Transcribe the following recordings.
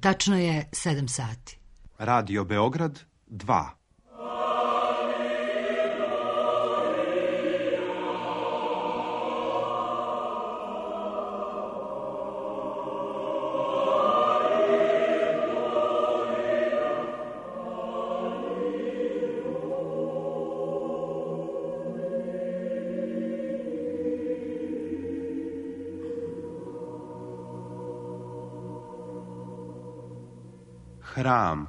Tačno je 7 sati. Radio Beograd 2. Hram.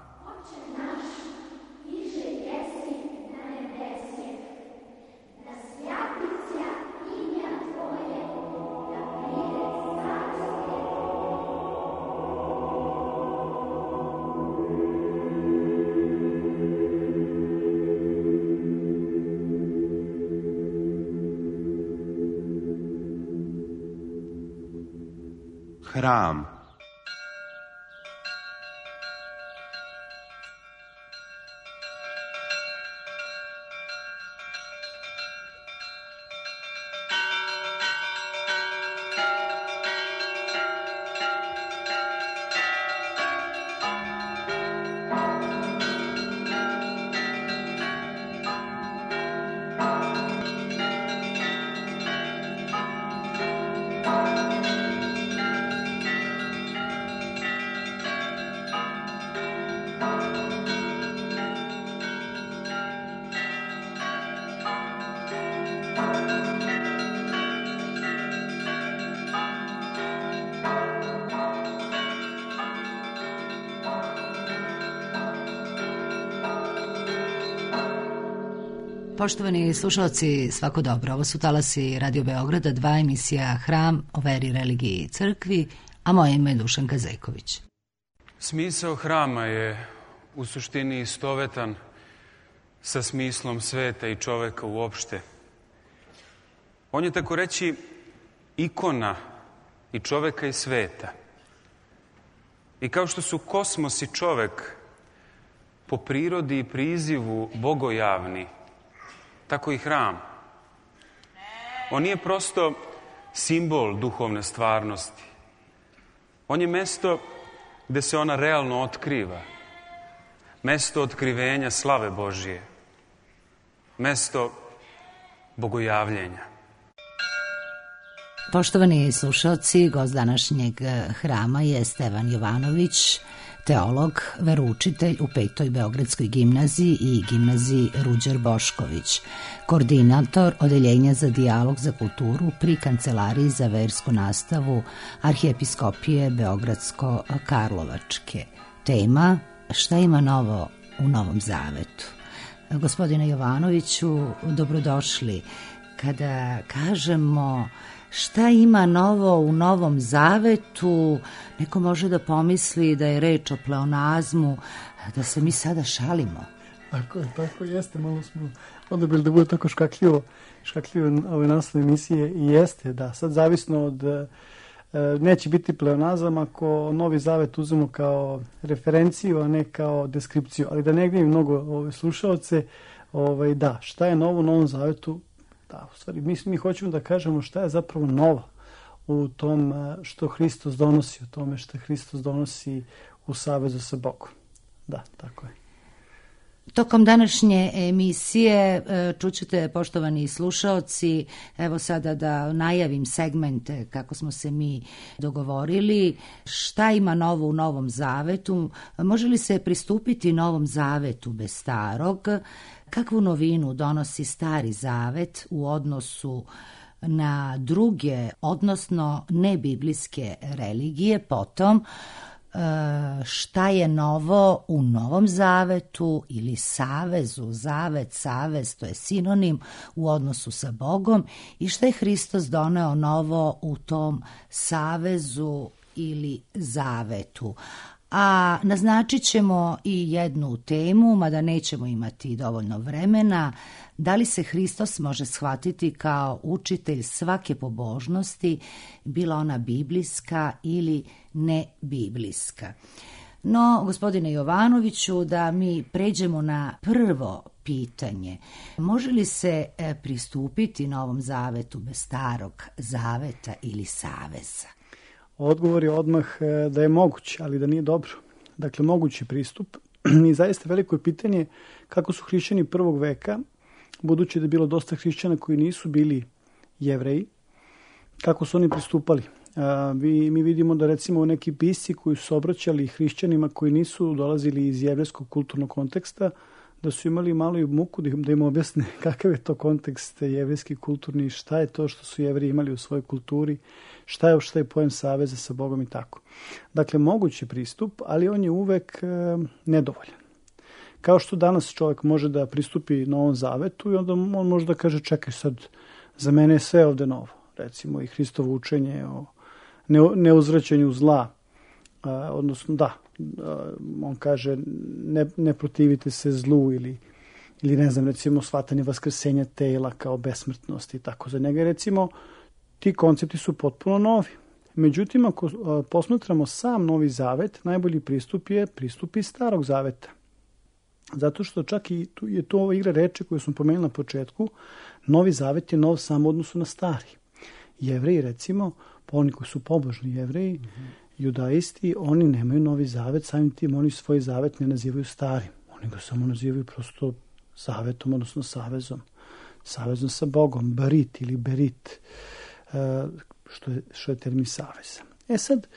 Hram. Poštovani slušalci, svako dobro. Ovo su talasi Radio Beograda 2, emisija Hram o veri, religiji i crkvi, a moje ime je Dušanka Zejković. Smisao hrama je u suštini istovetan sa smislom sveta i čoveka uopšte. On je tako reći ikona i čoveka i sveta. I kao što su kosmos i čovek po prirodi i prizivu bogojavni, tako i hram. On nije prosto simbol duhovne stvarnosti. On je mesto gde se ona realno otkriva. Mesto otkrivenja slave Božije. Mesto bogojavljenja. Poštovani slušalci, gost današnjeg hrama je Stevan Jovanović, teolog, veroučitelj u 5. Beogradskoj gimnaziji i gimnaziji Ruđer Bošković, koordinator Odeljenja za dijalog za kulturu pri Kancelariji za versku nastavu Arhijepiskopije Beogradsko-Karlovačke. Tema: šta ima novo u Novom Zavetu? Gospodine Jovanoviću, dobrodošli. Kada kažemo šta ima novo u Novom Zavetu, neko može da pomisli da je reč o pleonazmu, da se mi sada šalimo. Tako jeste, malo smo odabrali da bude tako škakljivo ove naslove emisije i jeste, da, sad zavisno od, neće biti pleonazam ako Novi Zavet uzmemo kao referenciju, a ne kao deskripciju, ali da ne gnjevim mnogo slušaoce, da, šta je novo u Novom Zavetu? Da, u stvari, mi hoćemo da kažemo šta je zapravo novo u tom što Hristos donosi, u tome što Hristos donosi u savezu sa Bogom. Da, tako je. Tokom današnje emisije čućete, poštovani slušaoci, evo sada da najavim segmente kako smo se mi dogovorili, šta ima novo u Novom Zavetu, može li se pristupiti Novom Zavetu bez starog, kakvu novinu donosi Stari Zavet u odnosu na druge, odnosno nebiblijske religije, potom šta je novo u Novom Zavetu ili savezu, zavet, savez, to je sinonim u odnosu sa Bogom, i šta je Hristos doneo novo u tom savezu ili zavetu. A naznačit ćemo i jednu temu, mada nećemo imati dovoljno vremena, da li se Hristos može shvatiti kao učitelj svake pobožnosti, bila ona biblijska ili ne biblijska. No, gospodine Jovanoviću, da mi pređemo na prvo pitanje. Može li se pristupiti Novom Zavetu bez Starog Zaveta ili saveza? Odgovor je odmah da je moguće, ali da nije dobro. Dakle, mogući pristup. I zaista veliko je pitanje kako su hrišćani prvog veka, budući da je bilo dosta hrišćana koji nisu bili Jevreji, kako su oni pristupali. Mi vidimo da recimo neki pisci koji su obraćali hrišćanima koji nisu dolazili iz jevrejskog kulturnog konteksta, da su imali malo i muku da im objasne kakav je to kontekst jevrejski kulturni, šta je to što su Jevreji imali u svojoj kulturi, šta je pojem saveza sa Bogom i tako. Dakle, mogući pristup, ali on je uvek nedovoljan. Kao što danas čovjek može da pristupi Novom Zavetu i onda on može da kaže čekaj sad, za mene je sve ovde novo. Recimo i Hristovo učenje o neuzvraćanju zla, odnosno on kaže ne protivite se zlu ili ne znam, recimo shvatanje vaskrsenja tela kao besmrtnosti i tako. Za njega recimo ti koncepti su potpuno novi. Međutim, ako posmatramo sam Novi Zavet, najbolji pristup je pristup iz Starog Zaveta. Zato što čak i je to ova igra reči koju smo pomenuli na početku, Novi Zavet je nov samo u odnosu na Stari. Jevreji, recimo, oni koji su pobožni Jevreji, judaisti, oni nemaju Novi Zavet, samim tim oni svoj zavet ne nazivaju starim. Oni ga samo nazivaju prosto zavetom, odnosno savezom sa Bogom, barit ili berit, što je termin saveza. Sad,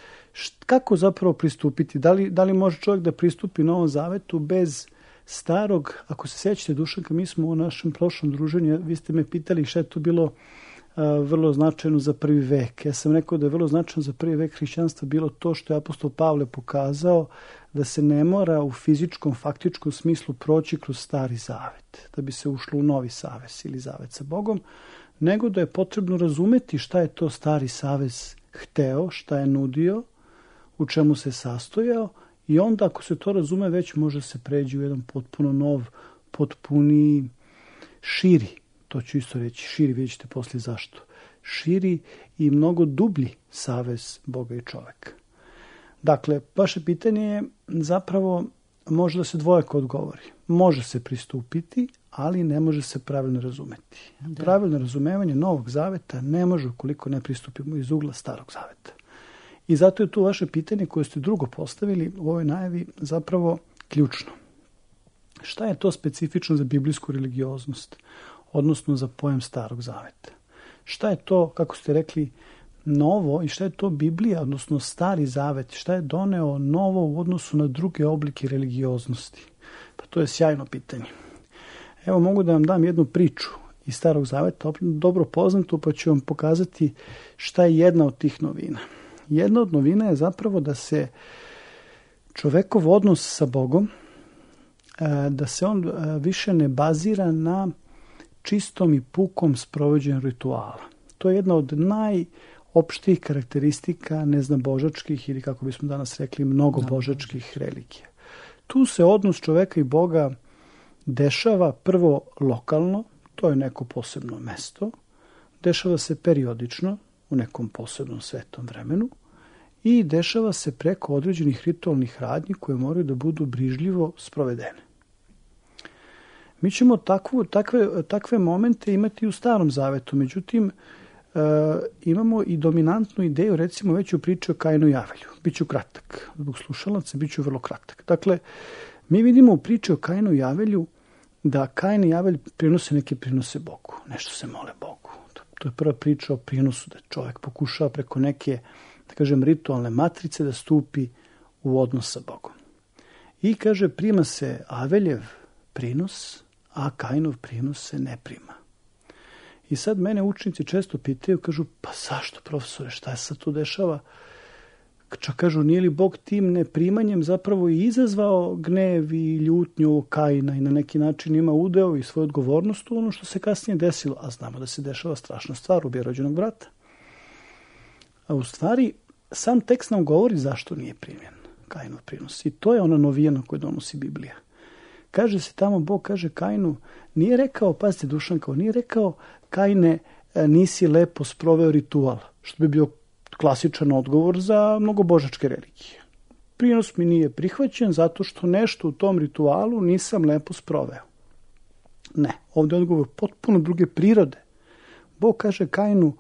kako zapravo pristupiti? Da li može čovjek da pristupi Novom Zavetu bez starog? Ako se sećate, Dušanka, mi smo u našem prošlom druženju, vi ste me pitali šta je to bilo vrlo značajno za prvi vek. Ja sam rekao da je vrlo značajno za prvi vek hrišćanstva bilo to što je apostol Pavle pokazao da se ne mora u fizičkom, faktičkom smislu proći kroz Stari Zavet, da bi se ušlo u Novi savez ili zavet sa Bogom, nego da je potrebno razumeti šta je to Stari savez hteo, šta je nudio, u čemu se sastojao i onda ako se to razume već može se pređi u jedan potpuno nov, potpuni, širi, to ću isto reći, širi, vidjet ćete poslije zašto, širi i mnogo dublji savez Boga i čoveka. Dakle, vaše pitanje je zapravo može da se dvojako odgovori. Može se pristupiti, ali ne može se pravilno razumeti. Pravilno razumevanje Novog Zaveta ne može ukoliko ne pristupimo iz ugla Starog Zaveta. I zato je tu vaše pitanje koje ste drugo postavili u ovoj najavi zapravo ključno. Šta je to specifično za biblijsku religioznost, odnosno za pojem Starog Zaveta? Šta je to, kako ste rekli, novo i šta je to Biblija, odnosno Stari Zavet? Šta je doneo novo u odnosu na druge oblike religioznosti? Pa to je sjajno pitanje. Evo mogu da vam dam jednu priču iz Starog Zaveta, dobro poznatu, pa ću vam pokazati šta je jedna od tih novina. Jedna od novina je zapravo da se čovekov odnos sa Bogom, da se on više ne bazira na čistom i pukom sprovođenju rituala. To je jedna od najopštijih karakteristika neznabožačkih ili kako bismo danas rekli mnogobožačkih religija. Tu se odnos čoveka i Boga dešava prvo lokalno, to je neko posebno mesto, dešava se periodično u nekom posebnom svetom vremenu i dešava se preko određenih ritualnih radnji koje moraju da budu brižljivo sprovedene. Mi ćemo takve momente imati u Starom Zavetu, međutim imamo i dominantnu ideju, recimo već u priči o Kainu i Avelju. Biću kratak, zbog slušalaca biću vrlo kratak. Dakle, mi vidimo u priči o Kainu i Avelju da Kain i Avelj prinose neke prinose Bogu, nešto se mole Bogu. To je prva priča o prinosu, da čovjek pokušava preko neke, da kažem, ritualne matrice da stupi u odnos sa Bogom. I kaže, prima se Aveljev prinos, a Kainov prinos se ne prima. I sad mene učenici često pitaju, kažu, pa zašto, profesore, šta je sad tu dešava? Čak kažu, nije li Bog tim neprimanjem zapravo i izazvao gnev i ljutnju Kaina i na neki način ima udeo i svoju odgovornost u ono što se kasnije desilo, a znamo da se dešava strašna stvar, ubija rođenog brata. A u stvari, sam tekst nam govori zašto nije primjen Kainov prinos. I to je ona novina koju donosi Biblija. Kaže se tamo, Bog kaže Kainu, nije rekao, pazite Dušanko, nije rekao Kaine, nisi lepo sproveo ritual, što bi bio klasičan odgovor za mnogobožačke religije. Prinos mi nije prihvaćen zato što nešto u tom ritualu nisam lepo sproveo. Ne, ovdje je odgovor potpuno druge prirode. Bog kaže Kainu,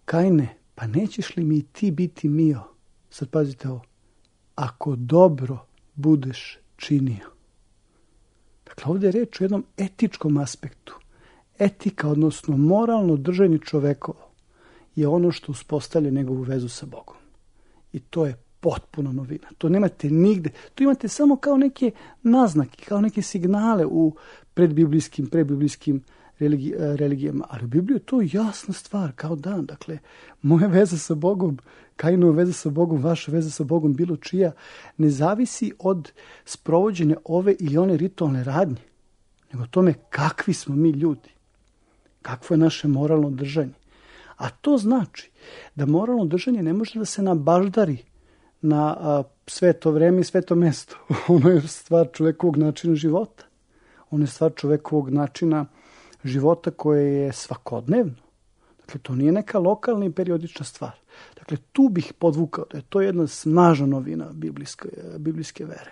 Kaine, pa nećeš li mi ti biti mio? Sad pazite ovo. Ako dobro budeš činio. Dakle, ovdje je reč o jednom etičkom aspektu. Etika, odnosno moralno držanje čovekovo, je ono što uspostavlja njegovu vezu sa Bogom. I to je potpuno novina. To nemate nigde. To imate samo kao neke naznake, kao neke signale u predbiblijskim religijama. Ali u Bibliji je to jasna stvar, kao dan. Dakle, moja veza sa Bogom, Kainova veza sa Bogom, vaša veza sa Bogom, bilo čija, ne zavisi od sprovođenja ove ili one ritualne radnje, nego tome kakvi smo mi ljudi. Kakvo je naše moralno držanje. A to znači da moralno držanje ne može da se nabaždari na sveto vreme i sveto mesto. Ono je stvar čovekovog načina života. Ono je stvar čovekovog načina života koje je svakodnevno. Dakle, to nije neka lokalna i periodična stvar. Dakle, tu bih podvukao da je to jedna snažna novina biblijske vere.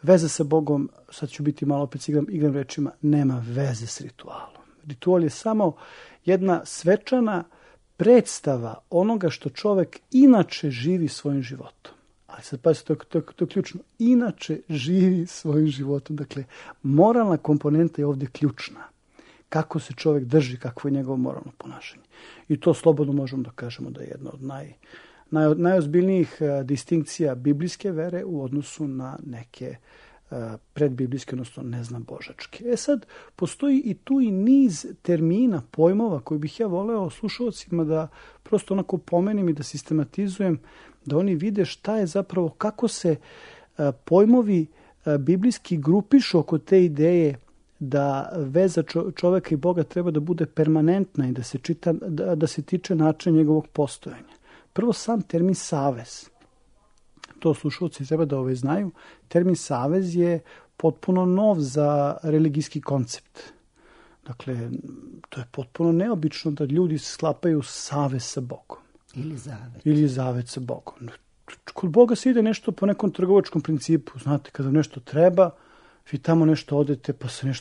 Veza sa Bogom, sad ću biti malo opet igram rečima, nema veze s ritualom. Ritual je samo jedna svečana predstava onoga što čovjek inače živi svojim životom. Ali sad pazite, to je ključno. Inače živi svojim životom. Dakle, moralna komponenta je ovdje ključna. Kako se čovjek drži, kakvo je njegovo moralno ponašanje. I to slobodno možemo da kažemo da je jedna od najozbiljnijih distinkcija biblijske vere u odnosu na neke predbiblijske, odnosno neznabožačke. Sad, postoji i tu i niz termina, pojmova koji bih ja voleo slušalcima da prosto onako pomenem i da sistematizujem, da oni vide šta je zapravo, kako se pojmovi biblijski grupišu oko te ideje da veza čoveka i Boga treba da bude permanentna i da se tiče načina njegovog postojanja. Prvo, sam termin savez. To slušalci treba da znaju. Termin savez je potpuno nov za religijski koncept. Dakle, to je potpuno neobično da ljudi sklapaju savez sa Bogom. Ili zavet sa Bogom. Kod Boga se ide nešto po nekom trgovačkom principu. Znate, kada nešto treba, vi tamo nešto odete, pa se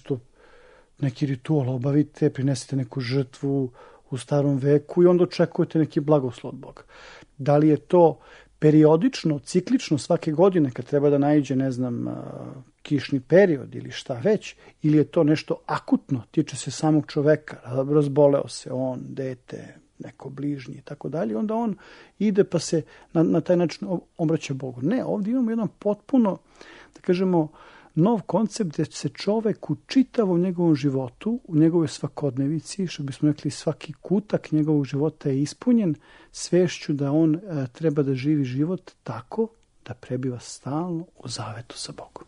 neki ritual obavite, prinesete neku žrtvu u starom veku i onda očekujete neki blagoslov od Boga. Da li je to periodično, ciklično svake godine kad treba da naiđe, kišni period ili šta već, ili je to nešto akutno, tiče se samog čoveka, razboleo se on, dete, neko bližnji i tako dalje, onda on ide pa se na taj način obraća Bogu. Ne, ovdje imamo jedan potpuno, da kažemo, nov koncept gdje se čovek u čitavom njegovom životu, u njegovoj svakodnevici, što bismo rekli svaki kutak njegovog života je ispunjen svešću da on treba da živi život tako da prebiva stalno u zavetu sa Bogom.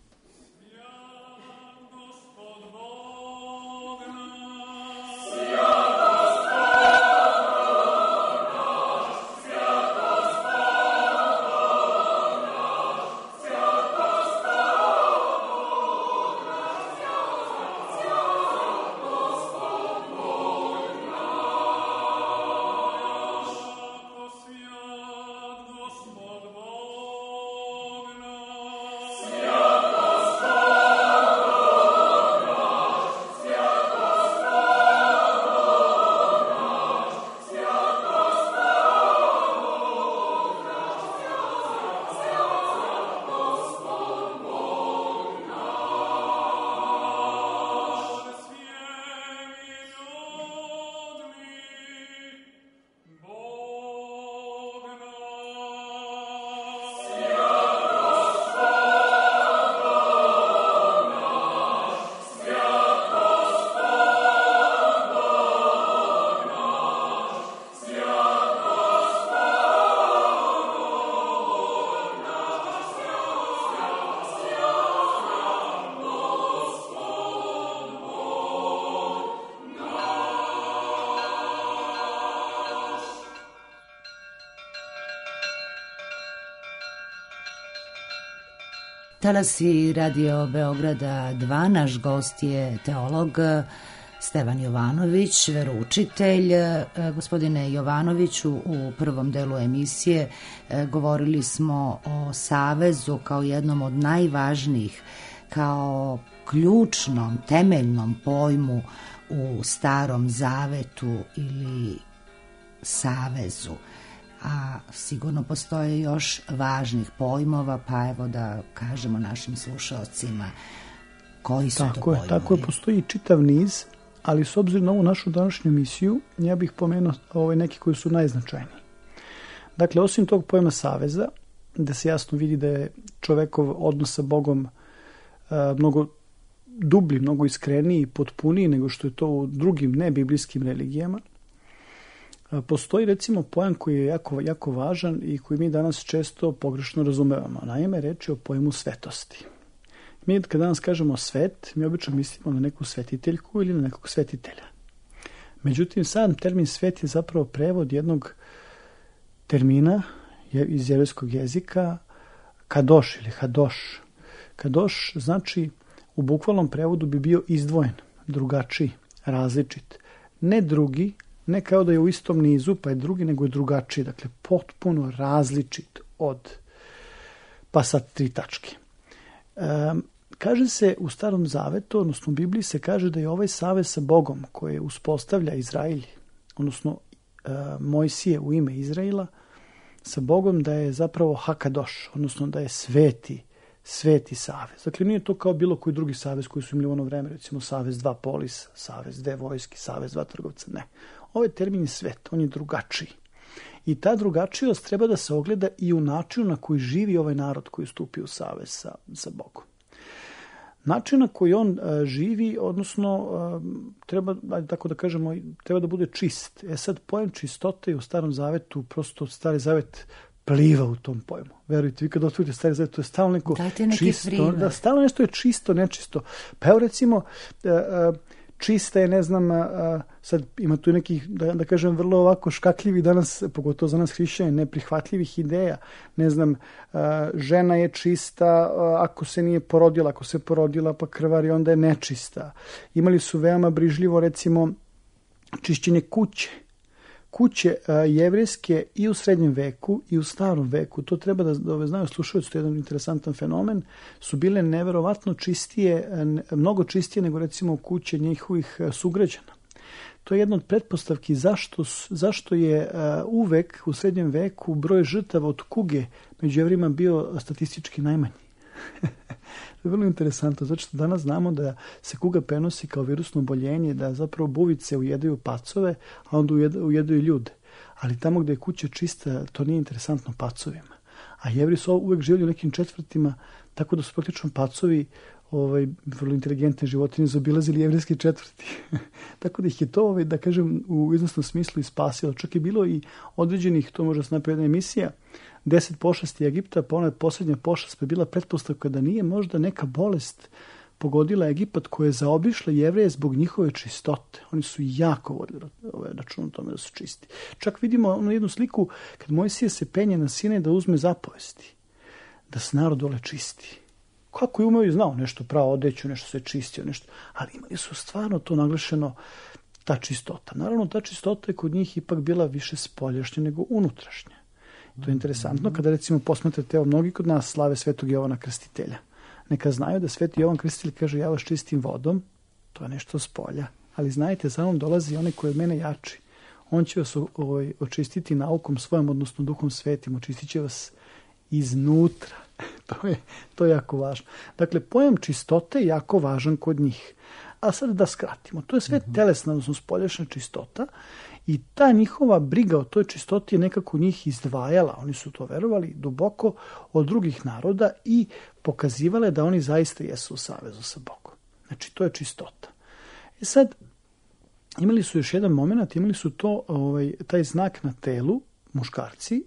Talasi Radio Beograda 2, naš gost je teolog Stevan Jovanović, veroučitelj. Gospodine Jovanoviću, u prvom delu emisije govorili smo o savezu kao jednom od najvažnijih, kao ključnom, temeljnom pojmu u Starom Zavetu ili savezu. a sigurno postoje još važnih pojmova, pa evo da kažemo našim slušalcima koji su to pojmovi. Tako je, postoji čitav niz, ali s obzirom na ovu našu današnju emisiju, ja bih pomenuo neki koji su najznačajniji. Dakle, osim tog pojma saveza, da se jasno vidi da je čovekov odnos sa Bogom mnogo dublji, mnogo iskreniji i potpuniji nego što je to u drugim nebiblijskim religijama, postoji recimo pojam koji je jako, jako važan i koji mi danas često pogrešno razumevamo. Naime, reč je o pojmu svetosti. Mi kad danas kažemo svet, mi obično mislimo na neku svetiteljku ili na nekog svetitelja. Međutim, sam termin svet je zapravo prevod jednog termina iz jevrejskog jezika kadoš ili hadoš. Kadoš znači, u bukvalnom prevodu bi bio izdvojen, drugačiji, različit. Ne drugi, ne kao da je u istom nizu, pa je drugi, nego je drugačiji. Dakle, potpuno različit od, pa sad 3 tačke. Kaže se u Starom Zavetu, odnosno u Bibliji se kaže da je ovaj savez sa Bogom koje uspostavlja Izrael, odnosno Mojsije u ime Izraela, sa Bogom da je zapravo hakadoš, odnosno da je sveti savez. Dakle, nije to kao bilo koji drugi savez koji su imali u ono vreme, recimo savez 2 polisa, savez 2 vojski, savez 2 trgovca. Ne. Ovaj termin je svet, on je drugačiji. I ta drugačijost treba da se ogleda i u načinu na koji živi ovaj narod koji stupi u savez sa Bogom. Način na koji on živi, odnosno treba, tako da kažemo, treba da bude čist. Sad, pojam čistote u Starom Zavetu, prosto Stari Zavet pliva u tom pojmu. Verujte, vi kad otvorite Stari Zavet, to je stalno neko čisto. Da, stalno nešto je čisto, nečisto. Pa evo recimo, čista je, ne znam, sad ima tu nekih, da kažem, vrlo ovako škakljivih danas, pogotovo za nas hrišćane, neprihvatljivih ideja. Ne znam, žena je čista ako se nije porodila, ako se porodila pa krvari, onda je nečista. Imali su veoma brižljivo, recimo, čišćenje kuće. Kuće jevrejske i u srednjem veku i u starom veku, to treba da znaju slušalci, to je jedan interesantan fenomen, su bile neverovatno čistije, mnogo čistije nego recimo kuće njihovih sugrađana. To je jedna od pretpostavki zašto je uvek u srednjem veku broj žrtava od kuge među Jevrima bio statistički najmanji. To je vrlo interesantno, zato što danas znamo da se kuga prenosi kao virusno oboljenje, da zapravo buvice ujedaju pacove, a onda ujedaju ljude. Ali tamo gde je kuća čista, to nije interesantno pacovima. A Jevri su uvek živjeli u nekim četvrtima, tako da su praktično pacovi vrlo inteligentne životinje zaobilazili jevrejski četvrti. Tako da ih je to, da kažem, u iznosnom smislu i spasilo. Čak je bilo i određenih, to može se napraviti jedna emisija, 10 pošasti Egipta, pa ona je posljednja pošast, pa je bila pretpostavka da nije možda neka bolest pogodila Egipat koja je zaobišla Jevreje zbog njihove čistote. Oni su jako vodili račun o tome da su čisti. Čak vidimo onu jednu sliku kad Mojsije se penje na Sinaj da uzme zapovesti, da se narod dole čisti. Kako je umeo i znao nešto pravo odeću, nešto se čistio, nešto, ali imali su stvarno to naglašeno, ta čistota. Naravno, ta čistota je kod njih ipak bila više spoljašnja nego unutrašnja. To je interesantno kada recimo posmatrate, evo mnogi kod nas slave Svetog Jovana Krstitelja. Neka znaju da Sveti Jovan Krstitelj kaže ja vas čistim vodom, to je nešto s polja, ali znajte, za mnom dolazi onaj koji od mene jači. On će vas očistiti naukom svojom, odnosno Duhom Svetim, očistit će vas iznutra. To je jako važno. Dakle, pojam čistote je jako važan kod njih. A sad da skratimo. To je sve telesna, odnosno spoljašnja čistota i ta njihova briga o toj čistoti je nekako njih izdvajala. Oni su to verovali duboko od drugih naroda i pokazivale da oni zaista jesu u savezu sa Bogom. Znači, to je čistota. Sad, imali su još jedan moment, imali su to, taj znak na telu, muškarci,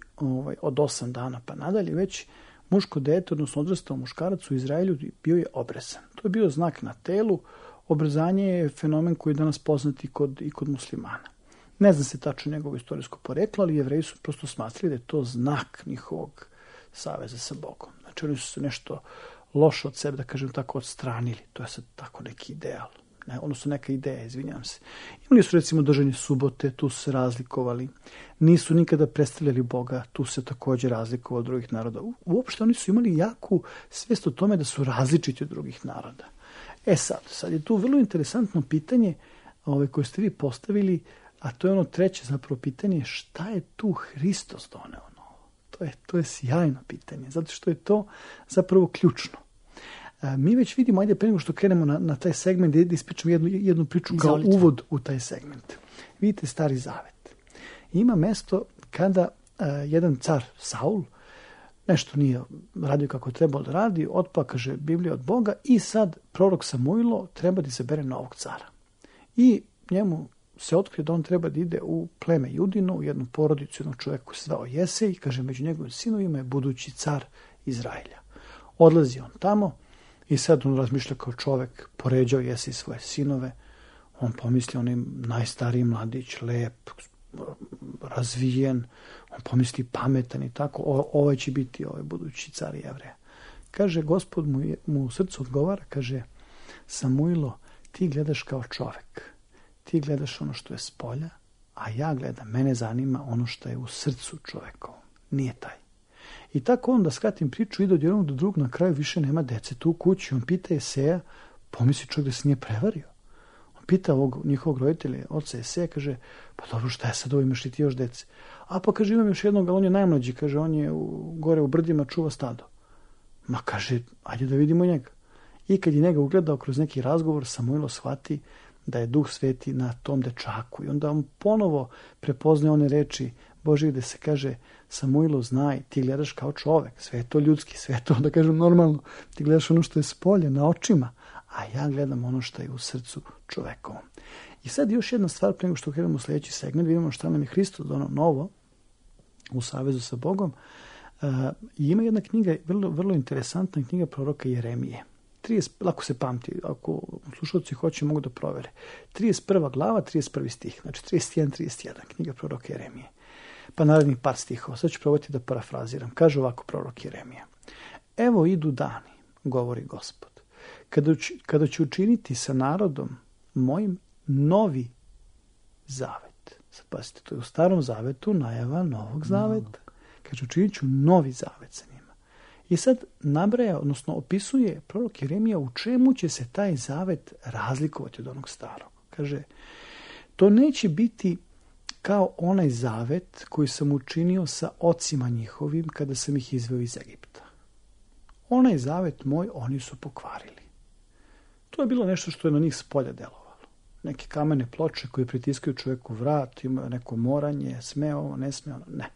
od 8 dana pa nadalje, već muško dete, odnosno odrastao muškarac u Izraelju bio je obrezan. To je bio znak na telu. Obrezanje je fenomen koji je danas poznat i kod muslimana. Ne zna se tačno njegovo istorijsko poreklo, ali Jevreji su prosto smatrali da je to znak njihovog saveza sa Bogom. Znači oni su se nešto loše od sebe, da kažem tako, odstranili. To je sad tako neki ideal. Odnosno neka ideja, izvinjam se. Imali su recimo držanje subote, tu su se razlikovali. Nisu nikada predstavljali Boga, tu se također razlikovali od drugih naroda. Uopšte oni su imali jaku svijest o tome da su različiti od drugih naroda. Sad je tu vrlo interesantno pitanje koje ste vi postavili, A to je ono treće zapravo pitanje, šta je tu Hristos doneo novo? To je sjajno pitanje, zato što je to zapravo ključno. Mi već vidimo, ajde pre nego što krenemo na taj segment, da ispričam jednu priču kao uvod u taj segment. Vidite Stari Zavet. Ima mesto kada jedan car Saul nešto nije radio kako trebalo da radi, otpa, kaže Biblija, od Boga, i sad prorok Samuilo treba da izabere novog cara. I njemu se otkrije da on treba da ide u pleme Judino, u jednu porodicu, jednog čovjeka koji se zvao Jesej, kaže među njegovim sinovima je budući car Izraelja. Odlazi on tamo i sad on razmišlja kao čovjek, poređao Jesej svoje sinove, on pomisli, on je najstariji mladić, lep, razvijen, on pomisli pametan i tako, ovaj će biti ovaj budući car Jevreja. Kaže, Gospod mu u srcu odgovara, kaže, Samuilo, ti gledaš kao čovjek, ti gledaš ono što je s polja, a ja gledam, mene zanima ono što je u srcu čovjekovom, nije taj. I tako on, da skratim priču, ide od jednog do drugog, na kraju više nema dece tu u kući, on pita Jeseja, pomisli čovjek da se nije prevario. Pita njihovog roditelja, oca Jeseja, kaže, pa dobro, šta je sad ovo, imaš li ti još dece? A pa kaže, imam još jednog, ali on je najmlađi, kaže, on je gore u brdima, čuva stado. Ma kaže, ajde da vidimo njega. I kad je njega ugledao kroz neki razgovor, Samuilo shvati da je Duh Sveti na tom dečaku. I onda on ponovo prepozna one reči Božje gde se kaže, Samuilo, znaj, ti gledaš kao čovek, sve je to ljudski, sve je to, da kažem, normalno. Ti gledaš ono što je s polja, na očima, a ja gledam ono što je u srcu čovekovom. I sad još jedna stvar, pre nego što krenemo u sljedeći segment, vidimo šta nam je Hristos donao novo u savezu sa Bogom. I ima jedna knjiga, vrlo interesantna knjiga proroka Jeremije. Lako se pamti, ako slušalci hoće mogu da provere. 31. glava, 31. stih, znači 31. knjiga proroka Jeremije. Pa narednih par stihova, sad ću probati da parafraziram. Kaže ovako prorok Jeremija. Evo idu dani, govori Gospod, kada ću učiniti sa narodom mojim novi zavet. Sad pazite, to je u Starom zavetu najava novog zaveta. Kaže, učinit ću novi zavet sa njima. I sad nabraja, odnosno opisuje prorok Jeremija u čemu će se taj zavet razlikovati od onog starog. Kaže, to neće biti kao onaj zavet koji sam učinio sa ocima njihovim kada sam ih izveo iz Egipta. Onaj zavet moj oni su pokvarili. To je bilo nešto što je na njih s polja delovalo. Neke kamene ploče koje pritiskaju čovjeku vrat, imaju neko moranje, sme ovo, ne sme ono, ne.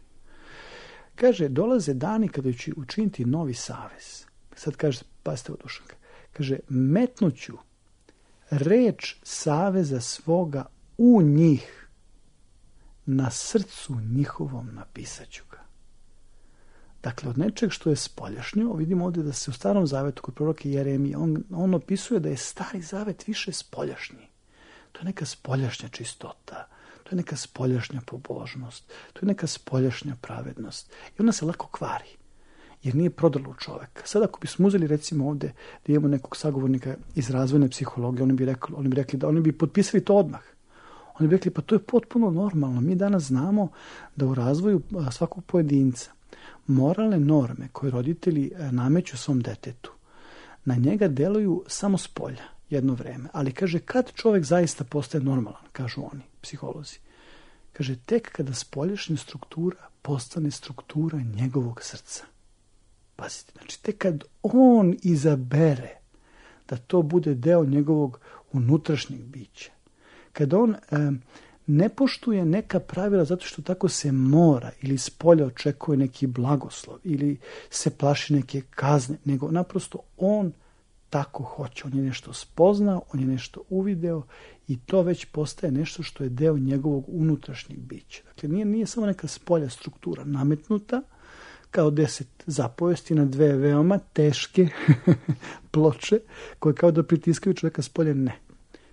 Kaže, dolaze dani kada će učiniti novi savez. Sad kaže, pazite ovo Dušanka, kaže, metnuću reč saveza svoga u njih, na srcu njihovom napisat ću ga. Dakle, od nečeg što je spoljašnjo, vidimo ovdje da se u Starom zavetu kod proroka Jeremije, on opisuje da je Stari zavet više spoljašnji. To je neka spoljašnja čistota, to je neka spoljašnja pobožnost, to je neka spoljašnja pravednost. I ona se lako kvari, jer nije prodala u čoveka. Sad ako bismo uzeli recimo ovdje da imamo nekog sagovornika iz razvojne psihologije, oni bi potpisali to odmah. Oni bi rekli, pa to je potpuno normalno. Mi danas znamo da u razvoju svakog pojedinca moralne norme koje roditelji nameću svom detetu, na njega deluju samo s polja jedno vreme. Ali kaže, kad čovjek zaista postaje normalan, kažu oni, psiholozi, kaže, tek kada spoljašnja struktura postane struktura njegovog srca. Pazite, znači, tek kad on izabere da to bude deo njegovog unutrašnjeg bića, kad on ne poštuje neka pravila zato što tako se mora ili s polja očekuje neki blagoslov ili se plaši neke kazne, nego naprosto on tako hoće. On je nešto spoznao, on je nešto uvideo i to već postaje nešto što je deo njegovog unutrašnjeg bića. Dakle, nije samo neka spolja struktura nametnuta kao 10 zapovesti na 2 veoma teške ploče koje kao da pritiskaju čovjeka s polja. Ne.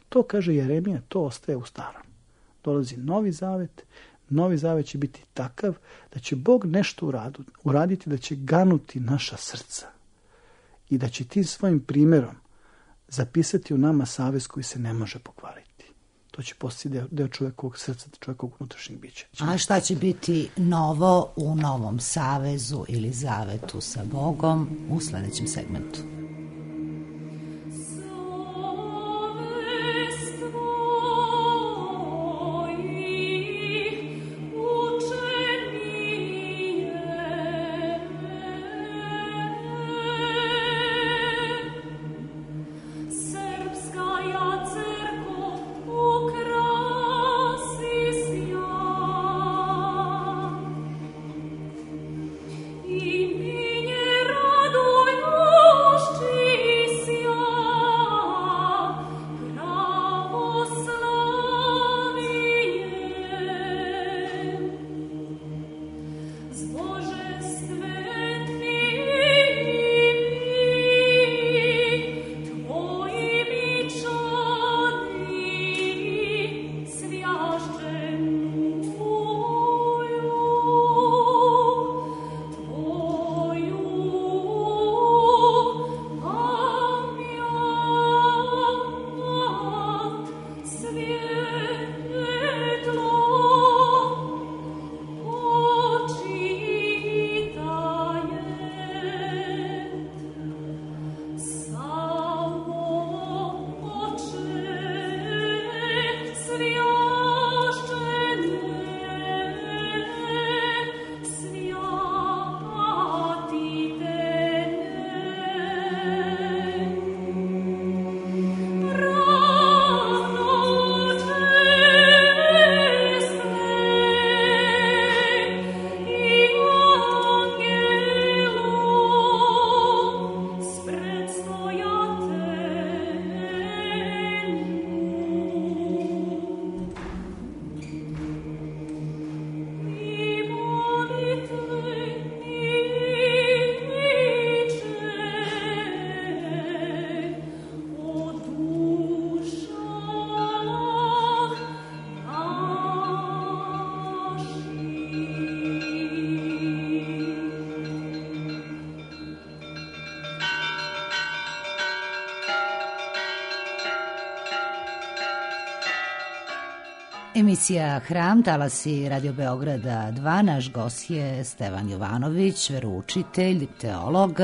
To, kaže Jeremija, to ostaje u Starom. Dolazi novi zavet će biti takav da će Bog nešto uraditi, da će ganuti naša srca i da će tim svojim primjerom zapisati u nama savez koji se ne može pokvariti. To će postati deo čovjekovog srca, čovjekovog unutrašnjeg bića. A šta će biti novo u novom savezu ili zavetu sa Bogom u sljedećem segmentu? Emisija Hram, talasi Radio Beograda 2. Naš gost je Stevan Jovanović, veroučitelj, teolog.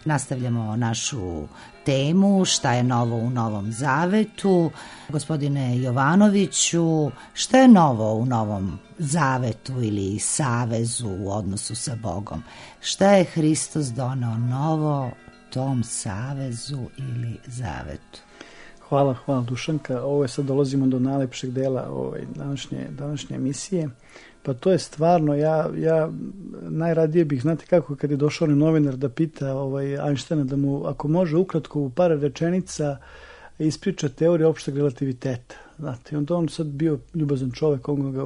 Nastavljamo našu temu šta je novo u Novom Zavetu. Gospodine Jovanoviću, šta je novo u Novom Zavetu ili savezu u odnosu sa Bogom? Šta je Hristos doneo novo tom savezu ili zavetu? Hvala Dušanka. Ovo je sad dolazimo do najlepšeg dela današnje emisije. Pa to je stvarno, ja najradije bih, znate kako, kad je došao novinar da pita Einsteina da mu, ako može ukratko u par rečenica ispriča teoriju opšteg relativiteta. Znate, on sad bio ljubazan čovjek, on ga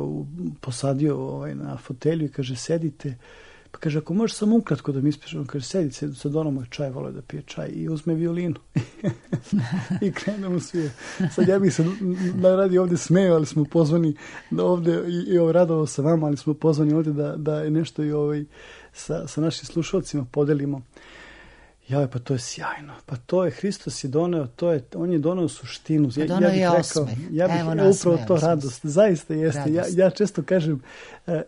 posadio na fotelju i kaže, sedite. Pa kaže, ako možeš samo ukratko da mi ispričam, kaže, sedite, sad ono moj čaj, volio da pije čaj i uzme violinu. I krenemo svi. Sad ja bih se najradije ovdje smeo, ali smo pozvani ovdje i radovao sa vama, ali smo pozvani ovdje da je nešto i sa našim slušalcima podelimo. Pa to je sjajno. Pa to je, Hristos je doneo, on je doneo suštinu. Ja bih upravo to radost. Zaista jeste. Ja često kažem,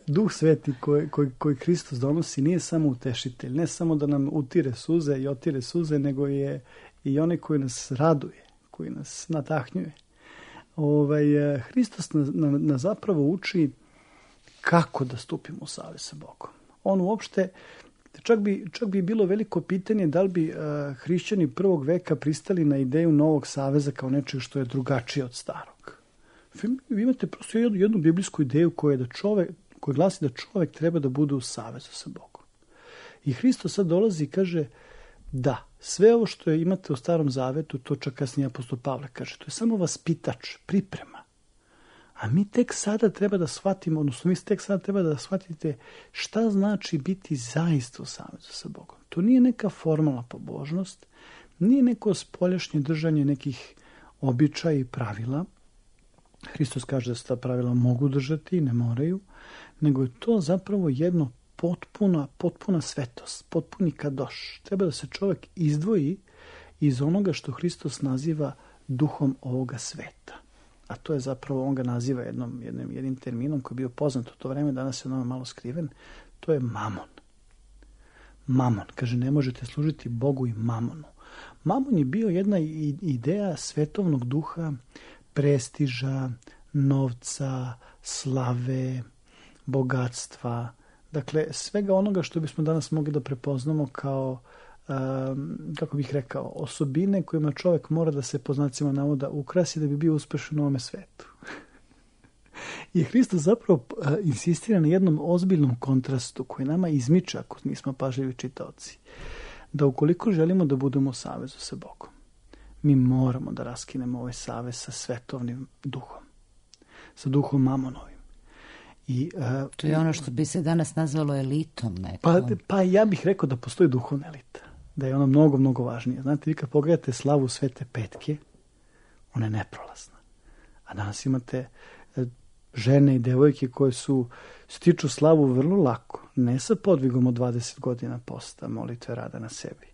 Duh Sveti koji Hristos donosi nije samo utešitelj, ne samo da nam utire suze i otire suze, nego je i onaj koji nas raduje, koji nas nadahnjuje. Hristos nas zapravo uči kako da stupimo u savez sa Bogom. On uopšte, čak bi bilo veliko pitanje da li bi hrišćani prvog veka pristali na ideju novog saveza kao nečeg što je drugačije od starog. Vi imate prosto jednu biblijsku ideju koja glasi da čovjek treba da bude u savezu sa Bogom. I Hristos sad dolazi i kaže da, sve ovo što imate u Starom Zavetu, to čak kasnije apostol Pavle kaže, to je samo vaspitač, priprema. A mi tek sada treba da shvatimo, odnosno vi tek sada treba da shvatite šta znači biti zaista u savezu sa Bogom. To nije neka formalna pobožnost, nije neko spoljašnje držanje nekih običaja i pravila. Hristos kaže da se ta pravila mogu držati i ne moraju, nego je to zapravo jedno potpuna svetost, potpuni kadoš. Treba da se čovjek izdvoji iz onoga što Hristos naziva duhom ovoga sveta. A to je zapravo, on ga naziva jednim terminom koji je bio poznat u to vreme, danas je on malo skriven, to je mamon. Mamon, kaže, ne možete služiti Bogu i mamonu. Mamon je bio jedna ideja svetovnog duha, prestiža, novca, slave, bogatstva, dakle svega onoga što bismo danas mogli da prepoznamo kao, kako bih rekao, osobine kojima čovjek mora da se po znacima navoda ukrasi da bi bio uspešan u ovome svetu. I Hristos zapravo insistira na jednom ozbiljnom kontrastu koji nama izmiče ako nismo pažljivi čitaoci. Da ukoliko želimo da budemo u savezu sa Bogom, mi moramo da raskinemo ovaj savez sa svetovnim duhom, sa duhom mamonovim. To je ono što bi se danas nazvalo elitom nekom. Pa ja bih rekao da postoji duhovna elita, da je ona mnogo, mnogo važnija. Znate, vi kad pogledate slavu Svete Petke, ona je neprolazna. A danas imate žene i devojke koje stiču slavu vrlo lako, ne sa podvigom od 20 godina posta, molitve, rada na sebi.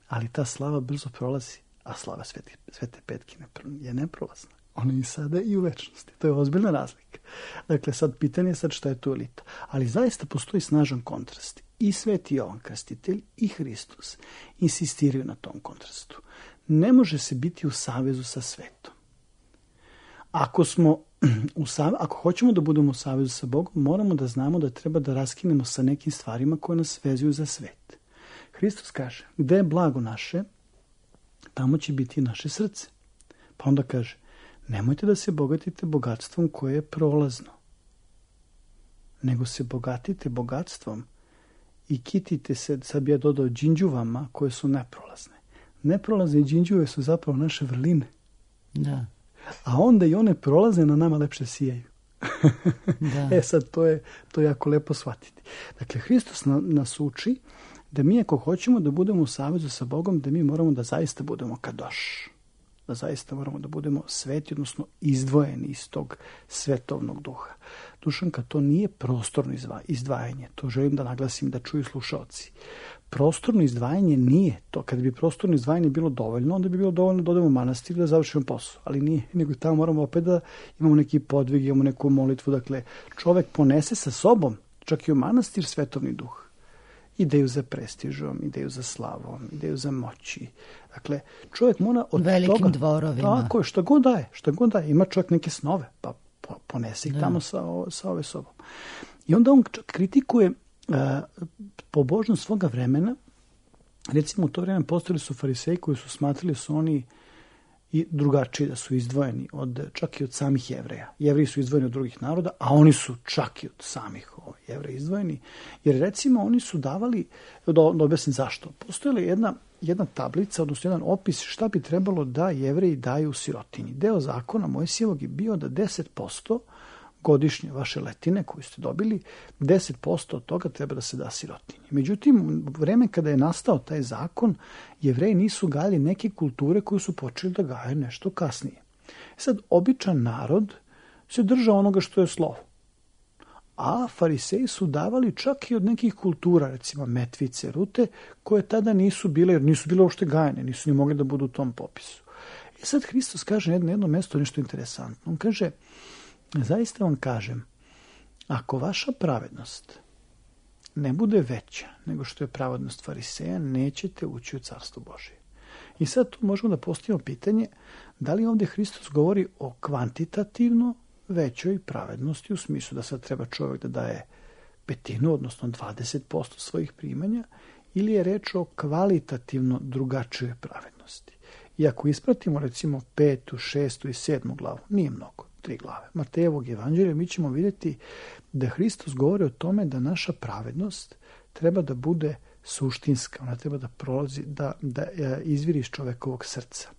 Ali ta slava brzo prolazi, a slava Svete Petke je neprolazna. Ona je i sada i u večnosti. To je ozbiljna razlika. Dakle, sad pitanje je šta je tu elita. Ali zaista postoji snažan kontrast. I Sveti Jovan Krstitelj i Hristos insistiraju na tom kontrastu. Ne može se biti u savezu sa svetom. Ako hoćemo da budemo u savezu sa Bogom, moramo da znamo da treba da raskinemo sa nekim stvarima koje nas vezuju za svet. Hristos kaže, gde je blago naše, tamo će biti naše srce. Pa onda kaže, nemojte da se bogatite bogatstvom koje je prolazno, nego se bogatite bogatstvom i kitite se, sad bi ja dodao, đinđuvama koje su neprolazne. Neprolazne đinđuve su zapravo naše vrline. Da. A onda i one prolazne na nama lepše sijaju. Da. Sad to je jako lepo shvatiti. Dakle, Hristos nas uči da mi ako hoćemo da budemo u savezu sa Bogom, da mi moramo da zaista budemo kadoš. Da zaista moramo da budemo sveti, odnosno izdvojeni iz tog svetovnog duha. Dušanka, to nije prostorno izdvajanje. To želim da naglasim, da čuju slušaoci. Prostorno izdvajanje nije to. Kad bi prostorno izdvajanje bilo dovoljno, onda bi bilo dovoljno da odemo u manastir da završimo posao. Ali nije, nego tamo moramo opet da imamo neki podvig, imamo neku molitvu. Dakle, čovek ponese sa sobom, čak i u manastir, svetovni duh. Ideju za prestižom, ideju za slavom, ideju za moći. Dakle, čovjek mora od velikim toga... dvorovima. Tako je, šta god daje. Ima čovjek neke snove, pa ponese ih tamo sa ove sobom. I onda on kritikuje pobožnost svoga vremena. Recimo, u to vreme postojali su fariseji koji su smatrali su oni i drugačiji, da su izdvojeni čak i od samih Jevreja. Jevreji su izdvojeni od drugih naroda, a oni su čak i od samih Jevreja izdvojeni. Jer recimo oni su davali, da objasnim zašto, postojala jedna tablica, odnosno jedan opis šta bi trebalo da Jevreji daju sirotinji. Deo zakona Mojsijevog je bio da 10% godišnje vaše letine koju ste dobili, 10% od toga treba da se da sirotinji. Međutim, u vreme kada je nastao taj zakon, Jevreji nisu gajali neke kulture koje su počeli da gaje nešto kasnije. Sad, običan narod se držao onoga što je slovo. A fariseji su davali čak i od nekih kultura, recimo metvice, rute, koje tada nisu bile, jer nisu bile uopšte gajene, nisu ni mogli da budu u tom popisu. I sad Hristos kaže na jedno mesto nešto interesantno. On kaže, zaista vam kažem, ako vaša pravednost ne bude veća nego što je pravednost fariseja, nećete ući u Carstvo Božije. I sad tu možemo da postavimo pitanje, da li ovdje Hristos govori o kvantitativno većoj pravednosti, u smislu da sad treba čovjek da daje petinu, odnosno 20% svojih primanja, ili je reč o kvalitativno drugačijoj pravednosti. I ako ispratimo recimo 5., 6. i 7. glavu, nije mnogo, 3 glave Matejevog evanđelja, mi ćemo vidjeti da Hristos govori o tome da naša pravednost treba da bude suštinska, ona treba da prolazi, da izviri iz čovekovog srca.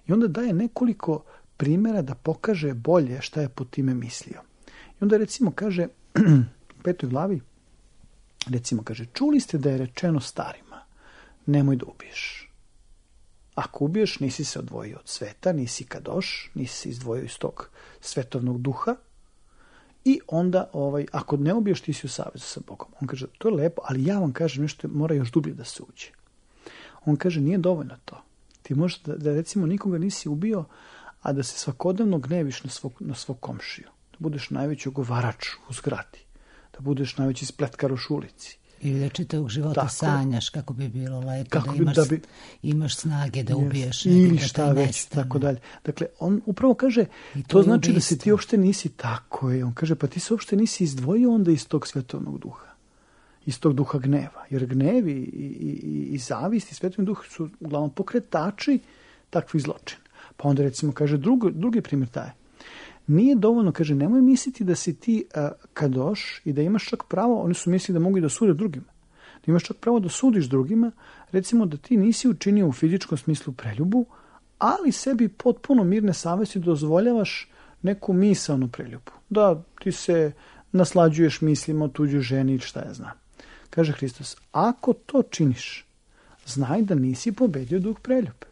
I onda daje nekoliko primjera da pokaže bolje šta je pod time mislio. I onda recimo kaže u 5. glavi, recimo kaže, čuli ste da je rečeno starima, nemoj da ubiješ. Ako ubiješ, nisi se odvojio od sveta, nisi kadoš, nisi se izdvojio iz tog svetovnog duha i onda ako ne ubiješ, ti si u savezu sa Bogom. On kaže, to je lepo, ali ja vam kažem nešto, mora još dublje da se uđe. On kaže, nije dovoljno to. Ti možeš da recimo nikoga nisi ubio, a da se svakodnevno gneviš na svog komšiju. Da budeš najveći ogovarač u zgradi. Da budeš najveći spletkaroš u ulici. Ili da čitavog života tako sanjaš kako bi bilo lepo, kako imaš snage da ubiješ. Ili šta već, tako dalje. Dakle, on upravo kaže, to znači da se ti uopšte nisi tako. On kaže, pa ti se uopšte nisi izdvojio onda iz tog svetovnog duha. Iz tog duha gneva. Jer gnevi i zavist i svetovni duh su uglavnom pokretači takvih zločina. Pa onda recimo kaže drugi primjer taj. Nije dovoljno, kaže, nemoj misliti da si ti kadoš i da imaš čak pravo, oni su mislili da mogu i da sude drugima. Da imaš čak pravo da sudiš drugima, recimo da ti nisi učinio u fizičkom smislu preljubu, ali sebi potpuno mirne savesti dozvoljavaš neku misaonu preljubu. Da ti se naslađuješ mislima o tuđoj ženi ili šta ja znam. Kaže Hristos, ako to činiš, znaj da nisi pobedio duh preljube.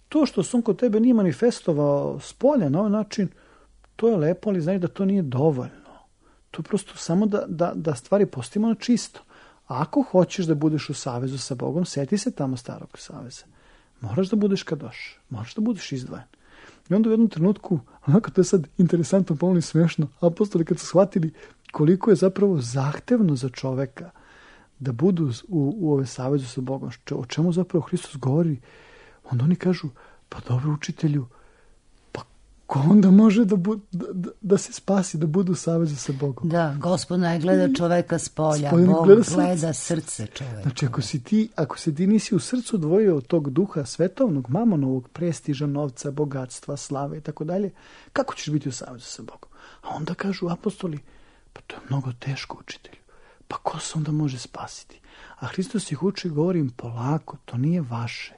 To što se on kod tebe nije manifestovao s polja na ovaj način, to je lepo, ali znaj da to nije dovoljno. To je prosto samo da stvari postavimo na čisto. A ako hoćeš da budeš u savezu sa Bogom, seti se tamo starog saveza. Moraš da budeš kadoš, moraš da budeš izdvojen. I onda u jednom trenutku, onako to je sad interesantno, pomalo i smiješno, apostoli kad su shvatili koliko je zapravo zahtevno za čoveka da budu u ove savezu sa Bogom, o čemu zapravo Hristos govori, onda oni kažu, pa dobro učitelju, pa ko onda može da se spasi, da budu u savezu sa Bogom? Da, Gospod ne gleda čoveka s polja, Bog gleda srce čoveka. Znači, ako se ti nisi u srcu odvojio od tog duha svetovnog, mamonovog, prestiža, novca, bogatstva, slave i tako dalje, kako ćeš biti u savezu sa Bogom? A onda kažu apostoli, pa to je mnogo teško učitelju. Pa ko se onda može spasiti? A Hristos ih uči, govorim polako, to nije vaše.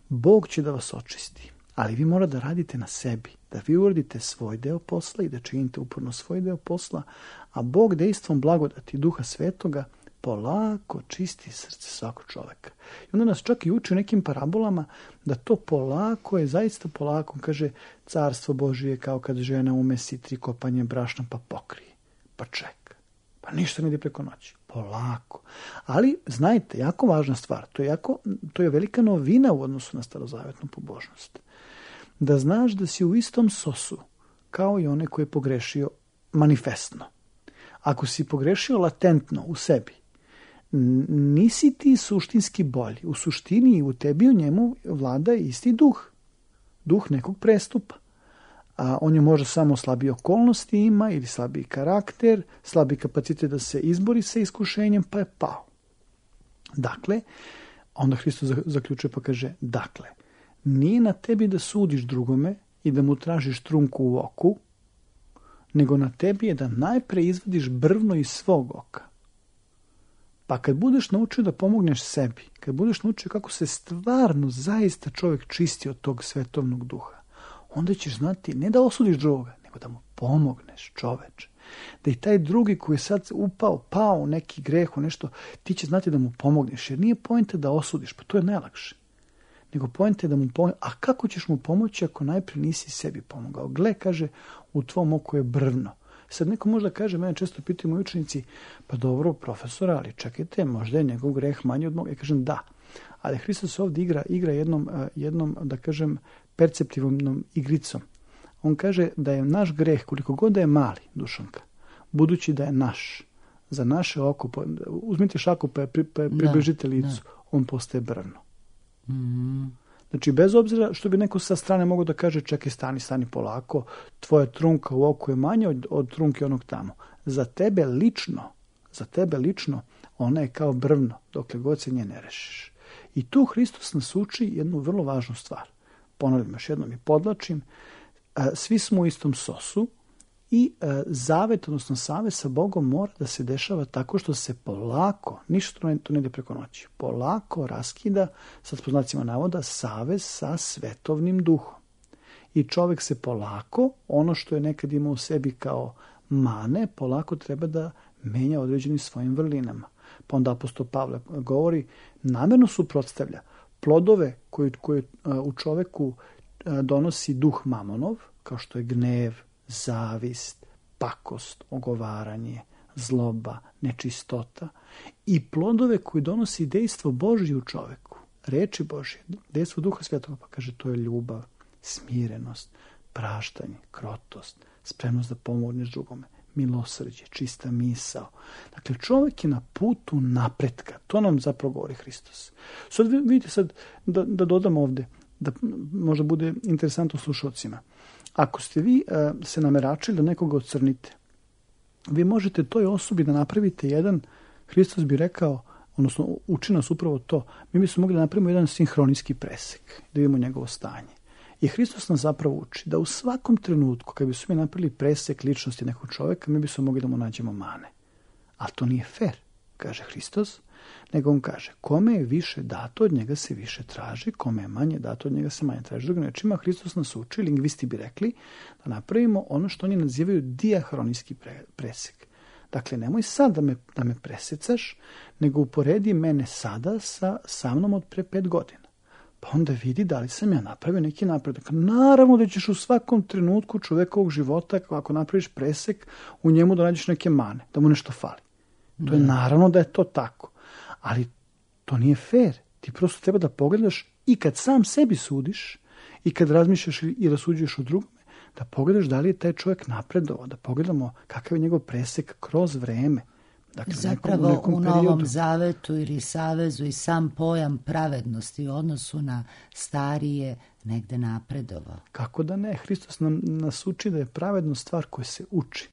Bog će da vas očisti, ali vi morate da radite na sebi, da vi uradite svoj deo posla i da činite uporno svoj deo posla, a Bog dejstvom blagodati Duha Svetoga polako čisti srce svakog čoveka. I onda nas čak i uči u nekim parabolama da to polako je zaista polako. Kaže, carstvo Božije kao kad žena umesi 3 kopanje brašna pa pokrije. pa čeka. Pa ništa ne ide preko noći. Polako. Ali, znajte, jako važna stvar, to je velika novina u odnosu na starozavetnu pobožnost. Da znaš da si u istom sosu kao i onaj koji je pogrešio manifestno. Ako si pogrešio latentno u sebi, nisi ti suštinski bolji. U suštini u tebi u njemu vlada isti duh. Duh nekog prestupa. A on je možda samo slabije okolnosti ima ili slabiji karakter, slabiji kapacitet da se izbori sa iskušenjem, pa je pao. Dakle, onda Hristos zaključuje pa kaže, dakle, nije na tebi da sudiš drugome i da mu tražiš trunku u oku, nego na tebi je da najpre izvadiš brvno iz svog oka. Pa kad budeš naučio da pomogneš sebi, kad budeš naučio kako se stvarno zaista čovjek čisti od tog svetovnog duha, onda ćeš znati ne da osudiš drugoga, nego da mu pomogneš, čoveče. Da i taj drugi koji je sad pao u neki greh, u nešto, ti će znati da mu pomogneš. Jer nije poenta da osudiš, pa to je najlakše. Nego poenta je da mu pomogneš. A kako ćeš mu pomoći ako najprije nisi sebi pomogao? Gle, kaže, u tvom oku je brvno. Sad neko možda kaže, mene često pitaju moji učenici, pa dobro, profesora, ali čekajte, možda je njegov greh manji od moga. Ja kažem, da. Ali Hristos ovdje igra jednom, da kažem, perceptivnom igricom. On kaže da je naš greh, koliko god da je mali, Dušanka, budući da je naš, za naše oko, uzmite šaku pa približite licu, on postaje brvno. Znači, bez obzira što bi neko sa strane mogao da kaže, čekaj, stani polako, tvoja trunka u oku je manja od trunke onog tamo. Za tebe lično, ona je kao brvno, dokle god se nje ne rešiš. I tu Hristos nas uči jednu vrlo važnu stvar. Ponavljam još jednom i podlačim, svi smo u istom sosu i zavet, odnosno savez sa Bogom mora da se dešava tako što se polako, ništa to ne ide preko noći, polako raskida, sad po znacima navoda, savez sa svetovnim duhom. I čovjek se polako, ono što je nekad imao u sebi kao mane, polako treba da menja određenim svojim vrlinama. Pa onda apostol Pavle govori, namjerno suprotstavlja plodove koje u čoveku donosi duh mamonov, kao što je gnev, zavist, pakost, ogovaranje, zloba, nečistota, i plodove koje donosi dejstvo Božje u čoveku, reči Božje, dejstvo Duha Svetoga, pa kaže to je ljubav, smirenost, praštanje, krotost, spremnost da pomogneš drugome, milosrđe, čista misao. Dakle, čovjek je na putu napretka. To nam zapravo govori Hristos. Sad vidite da dodam ovdje, da možda bude interesantno slušalcima. Ako ste vi se nameračili da nekoga ocrnite, vi možete toj osobi da napravite jedan, Hristos bi rekao, odnosno uči nas upravo to, mi bismo mogli da napravimo jedan sinhronijski presek, da vidimo njegovo stanje. I Hristos nas zapravo uči da u svakom trenutku, kad bismo mi napravili presek ličnosti nekog čovjeka, mi bismo mogli da mu nađemo mane. Ali to nije fair, kaže Hristos, nego on kaže, kome je više dato, od njega se više traži, kome je manje dato, od njega se manje traži. Drugim rečima, Hristos nas uči, lingvisti bi rekli, da napravimo ono što oni nazivaju diahronijski presek. Dakle, nemoj sad da me presecaš, nego uporedi mene sada sa mnom od pre 5 godina. Pa onda vidi da li sam ja napravio neki napredak. Naravno da ćeš u svakom trenutku čovekovog života, ako napraviš presek, u njemu da nađeš neke mane, da mu nešto fali. To je naravno da je to tako. Ali to nije fair. Ti prosto treba da pogledaš i kad sam sebi sudiš i kad razmišljaš i rasuđuješ o drugome, da pogledaš da li je taj čovjek napredovao, da pogledamo kakav je njegov presek kroz vreme. Dakle, zapravo u Novom Zavetu ili Savezu i sam pojam pravednosti u odnosu na starije negde napredovao. Kako da ne? Hristos nas uči da je pravednost stvar koja se uči.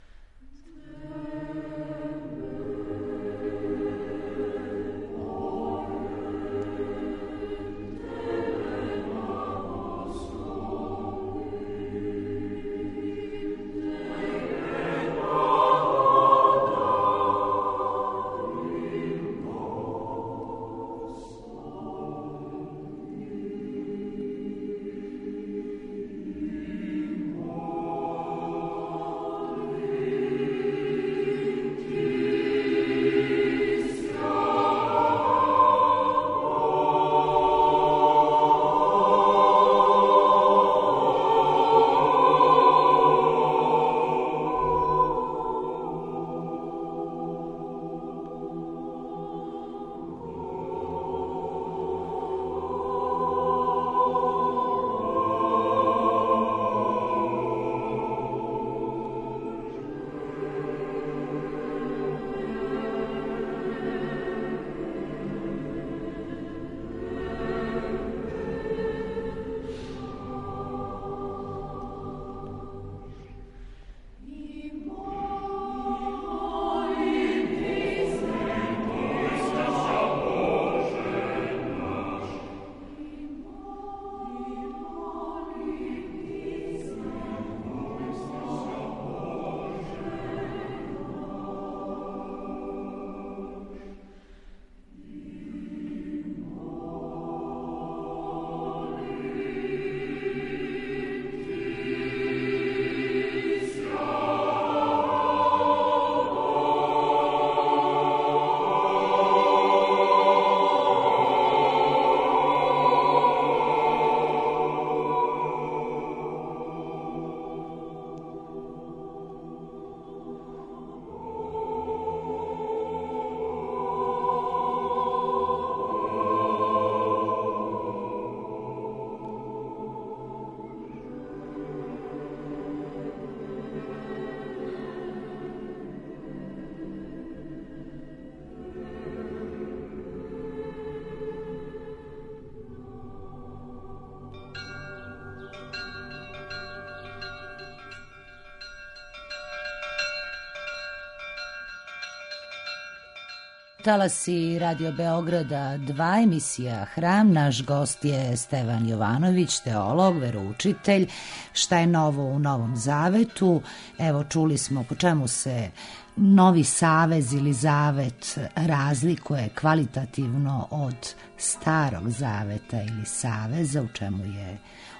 talasi Radio Beograda 2, emisija Hram. Naš gost je Stevan Jovanović, teolog, veroučitelj. Šta je novo u Novom Zavetu? Evo, čuli smo po čemu se Novi Savez ili Zavet razlikuje kvalitativno od Starog Zaveta ili Saveza, u čemu je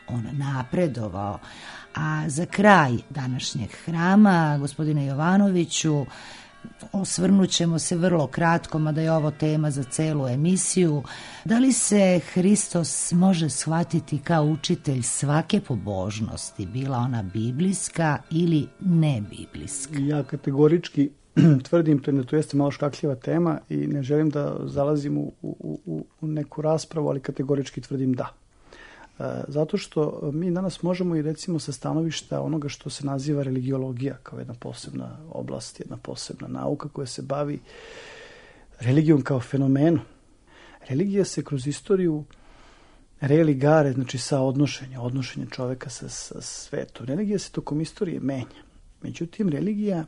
on napredovao. A za kraj današnjeg Hrama, gospodine Jovanoviću, osvrnut ćemo se vrlo kratko, mada je ovo tema za celu emisiju. Da li se Hristos može shvatiti kao učitelj svake pobožnosti, bila ona biblijska ili ne biblijska? Ja kategorički tvrdim, to jeste malo škakljiva tema i ne želim da zalazim u neku raspravu, ali kategorički tvrdim da. Zato što mi danas možemo i recimo sa stanovišta onoga što se naziva religiologija kao jedna posebna oblast, jedna posebna nauka koja se bavi religijom kao fenomenom. Religija se kroz istoriju religare, znači sa odnošenje čoveka sa svetom. Religija se tokom istorije menja. Međutim, religija,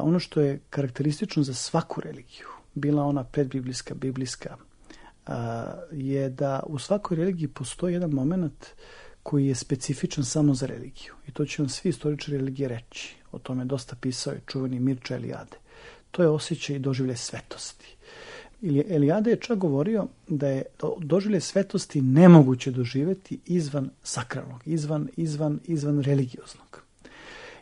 ono što je karakteristično za svaku religiju, bila ona predbiblijska, biblijska, je da u svakoj religiji postoji jedan moment koji je specifičan samo za religiju. I to će vam svi istoričari religije reći. O tome je dosta pisao i čuveni Mirča Eliade. To je osjećaj i doživljaj svetosti. Eliade je čak govorio da je doživljaj svetosti nemoguće doživjeti izvan sakralnog, izvan religioznog.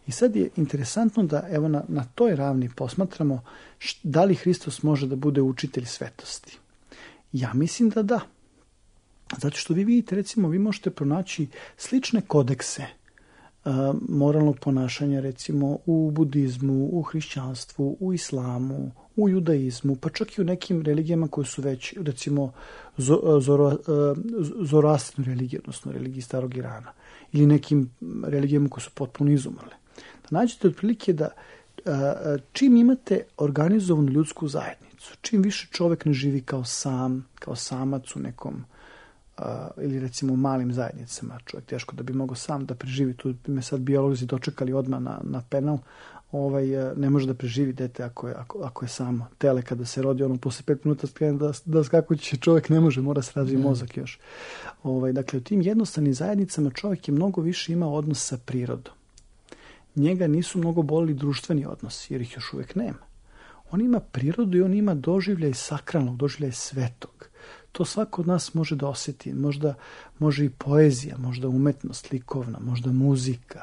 I sad je interesantno da evo na toj ravni posmatramo da li Hristos može da bude učitelj svetosti. Ja mislim da da. Zato što vi vidite, recimo, vi možete pronaći slične kodekse moralnog ponašanja, recimo, u budizmu, u hrišćanstvu, u islamu, u judaizmu, pa čak i u nekim religijama koje su već, recimo, zoroastrinu religiju, odnosno religiji starog Irana, ili nekim religijama koje su potpuno izumrle. Da nađete otprilike da čim imate organizovanu ljudsku zajednicu, čim više čovjek ne živi kao samac u nekom ili recimo u malim zajednicama, čovjek teško da bi mogao sam da preživi, tu bi me sad biolozi dočekali odmah na penal, ne može da preživi dete ako je samo. Tele kada se rodi, ono posle 5 minuta skrene da skakuće, čovjek ne može, mora se razviti mozak još. Dakle, u tim jednostavnim zajednicama čovjek je mnogo više imao odnos sa prirodom. Njega nisu mnogo bolili društveni odnosi, jer ih još uvijek nema. On ima prirodu i on ima doživljaj sakralnog, doživljaj svetog. To svako od nas može da osjeti. Možda može i poezija, možda umetnost likovna, možda muzika.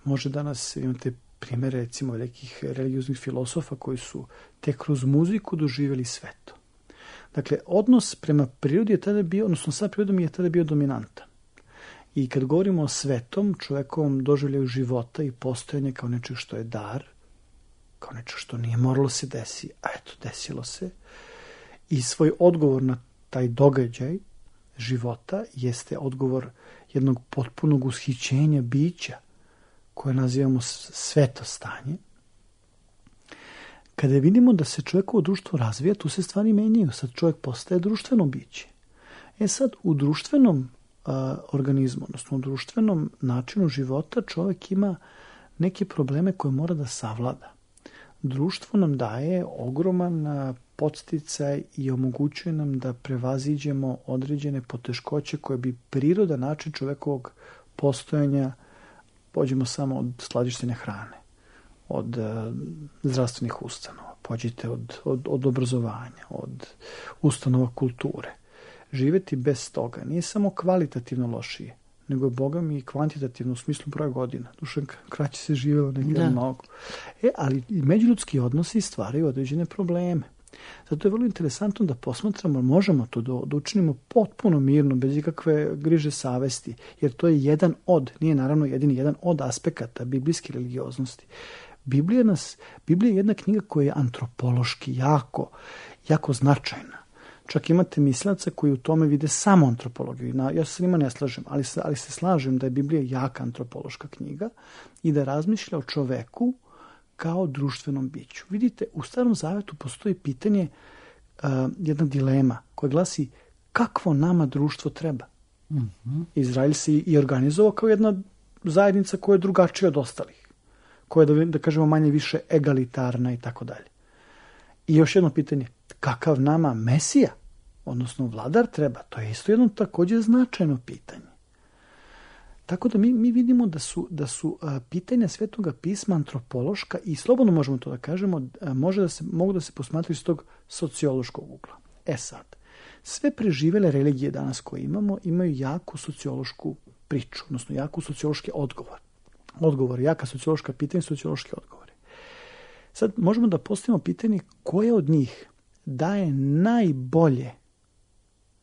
Može danas imate primjere, recimo, nekih religioznih filosofa koji su tek kroz muziku doživjeli sveto. Dakle, odnos prema prirodi je tada bio, odnosno sa prirodom je tada bio dominantan. I kad govorimo o svetom, čovjekovom doživljaju života i postojanje kao nečeg što je dar, kao nečeg što nije moralo se desi, a eto, desilo se. I svoj odgovor na taj događaj života jeste odgovor jednog potpunog ushićenja bića, koje nazivamo sveto stanje. Kada vidimo da se čovjekovo društvo razvija, tu se stvari menjaju. Sad čovjek postaje društveno biće. Sad u društvenom organizmu, odnosno u društvenom načinu života, čovjek ima neke probleme koje mora da savlada. Društvo nam daje ogroman podsticaj i omogućuje nam da prevaziđemo određene poteškoće koje bi priroda, način čovjekovog postojanja, pođemo samo od skladištenja hrane, od zdravstvenih ustanova, pođite od obrazovanja, od ustanova kulture. Živjeti bez toga nije samo kvalitativno lošije, nego je, Boga mi, i kvantitativno u smislu broja godina. Dušanka, kraće se živjelo nekada mnogo. Ali i međuljudski odnosi stvaraju određene probleme. Zato je vrlo interesantno da posmatramo, možemo to da učinimo potpuno mirno, bez ikakve griže savesti, jer to je nije naravno jedini jedan od aspekata biblijske religioznosti. Biblija je jedna knjiga koja je antropološki jako značajna. Čak imate mislaca koji u tome vide samo antropologiju. Ja se s njima ne slažem, ali se slažem da je Biblija jaka antropološka knjiga i da razmišlja o čoveku kao društvenom biću. Vidite, u Starom Zavetu postoji pitanje, jedna dilema koja glasi kakvo nama društvo treba. Mm-hmm. Izrael se i organizovao kao jedna zajednica koja je drugačija od ostalih, koja je, da kažemo, manje više egalitarna i tako dalje. I još jedno pitanje, kakav nama Mesija, odnosno vladar treba? To je isto jedno također značajno pitanje. Tako da mi vidimo da su pitanja Svetoga pisma antropološka i slobodno možemo to da kažemo, mogu da se posmatraju iz tog sociološkog ugla. Sad, sve preživele religije danas koje imaju jaku sociološku priču, odnosno jaku sociološki odgovor, jaka sociološka pitanja, sociološki odgovori. Sad možemo da postavimo pitanje koje od njih daje najbolje,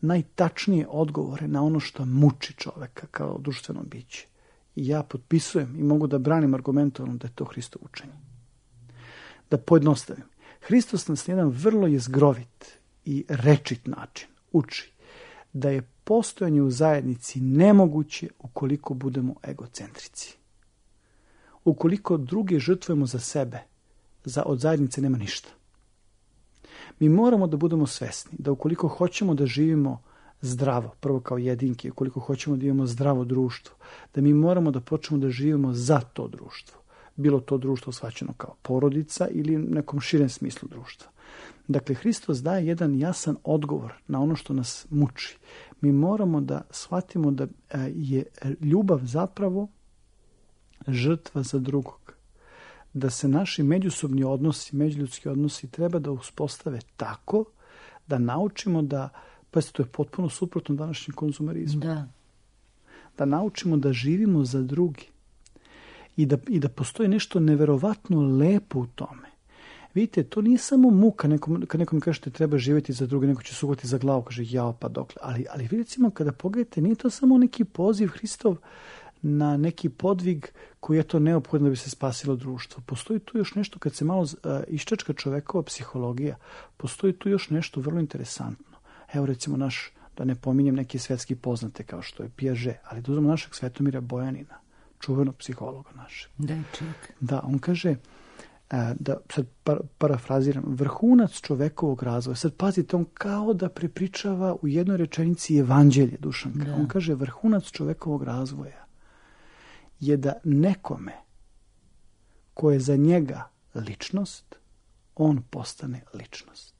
najtačnije odgovore na ono što muči čoveka kao društveno biće. I ja potpisujem i mogu da branim argumentovano da je to Hristovo učenje. Da pojednostavim. Hristos nas na jedan vrlo jezgrovit i rečit način uči da je postojanje u zajednici nemoguće ukoliko budemo egocentrici. Ukoliko druge žrtvujemo za sebe, od zajednice nema ništa. Mi moramo da budemo svesni da ukoliko hoćemo da živimo zdravo, prvo kao jedinke, ukoliko hoćemo da imamo zdravo društvo, da mi moramo da počnemo da živimo za to društvo. Bilo to društvo shvaćeno kao porodica ili nekom širem smislu društva. Dakle, Hristos daje jedan jasan odgovor na ono što nas muči. Mi moramo da shvatimo da je ljubav zapravo žrtva za drugog. Da se naši međusobni odnosi, međuljudski odnosi treba da uspostave tako da naučimo da, pa to je potpuno suprotno današnjem konzumerizmu. Da naučimo da živimo za drugi i da postoji nešto neverovatno lepo u tome. Vidite, to nije samo muka, kad nekom kažete treba živjeti za druge, neko će sugati za glavu, kaže jao pa dokle. Ali vidite, kada pogledate, nije to samo neki poziv Hristov na neki podvig koji je to neophodno da bi se spasilo društvo. Postoji tu još nešto, kad se malo iščačka čovekova psihologija, postoji tu još nešto vrlo interesantno. Evo recimo da ne pominjem neke svetski poznate kao što je Piaget, ali da uzmemo našeg Svetomira Bojanina, čuvenog psihologa našeg. Da, on kaže, da sad parafraziram, vrhunac čovekovog razvoja. Sad pazite, on kao da prepričava u jednoj rečenici evanđelje, Dušanka. On kaže, vrhunac čovekovog razvoja je da nekome ko je za njega ličnost, on postane ličnost.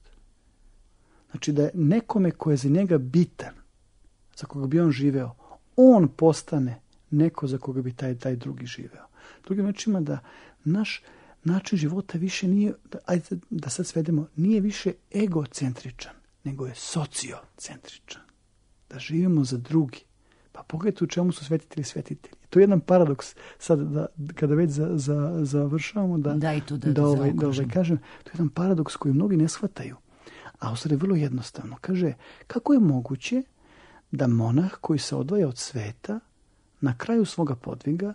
Znači da je nekome ko je za njega bitan, za koga bi on živeo, on postane neko za koga bi taj drugi živeo. Drugim rečima da naš način života više nije, da sad svedemo, nije više egocentričan, nego je sociocentričan. Da živimo za drugi. Pa pogledajte u čemu su svetitelji. To je jedan paradoks, sad kada već završavamo, da kažem, to je jedan paradoks koji mnogi ne shvataju. A u stvari vrlo jednostavno. Kaže, kako je moguće da monah koji se odvaja od sveta na kraju svoga podviga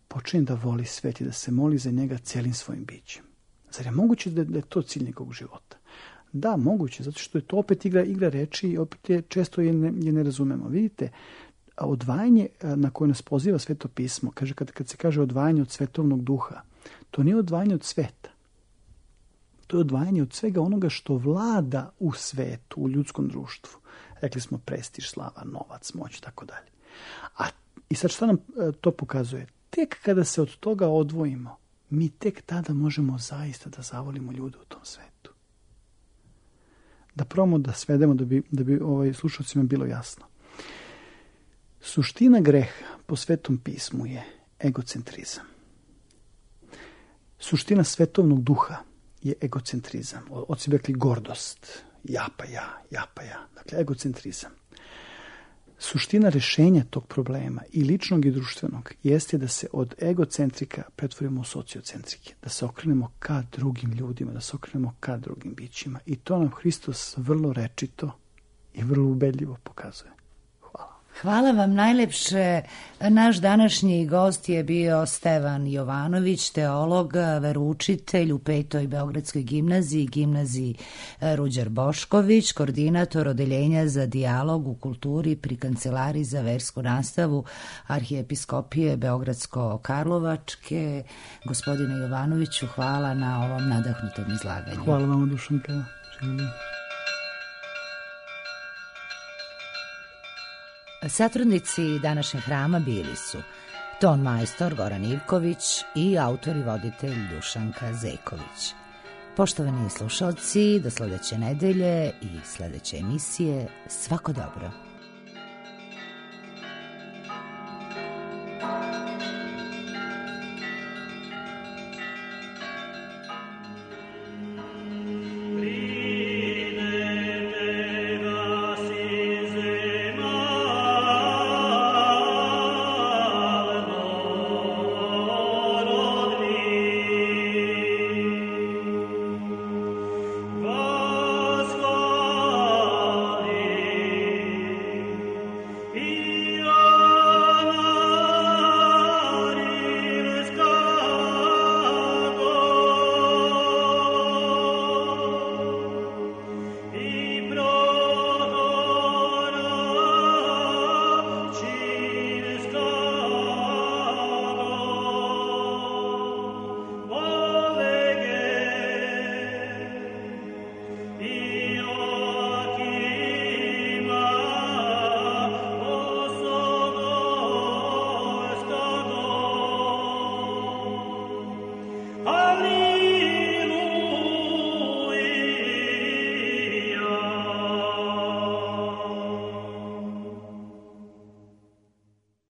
počne da voli svet i da se moli za njega celim svojim bićem? Zar je moguće da je to cilj njegovog života? Da, moguće, zato što je to opet igra reči i opet često je ne razumemo. Vidite, odvajanje na koje nas poziva Sveto pismo, kaže, kad se kaže odvajanje od svetovnog duha, to nije odvajanje od sveta. To je odvajanje od svega onoga što vlada u svetu, u ljudskom društvu. Rekli smo prestiž, slava, novac, moć, tako dalje. I sad šta nam to pokazuje? Tek kada se od toga odvojimo, mi tek tada možemo zaista da zavolimo ljude u tom svetu. Da probamo da svedemo da bi slušalcima bilo jasno. Suština greha po Svetom pismu je egocentrizam. Suština svetovnog duha je egocentrizam. Oci bi rekli gordost. Ja pa ja. Dakle, egocentrizam. Suština rešenja tog problema i ličnog i društvenog jeste da se od egocentrika pretvorimo u sociocentrike, da se okrenemo ka drugim ljudima, da se okrenemo ka drugim bićima. I to nam Hristos vrlo rečito i vrlo ubedljivo pokazuje. Hvala vam najlepše. Naš današnji gost je bio Stevan Jovanović, teolog, veroučitelj u 5. Beogradskoj gimnaziji Ruđer Bošković, koordinator odeljenja za dijalog u kulturi pri Kancelariji za versku nastavu Arhijepiskopije Beogradsko-Karlovačke. Gospodine Jovanoviću, hvala na ovom nadahnutom izlaganju. Hvala vam, Dušanka. Satrudnici današnjeg hrama bili su ton majstor Goran Ivković i autor i voditelj Dušanka Zeković. Poštovani slušalci, do sledeće nedelje i sledeće emisije, svako dobro.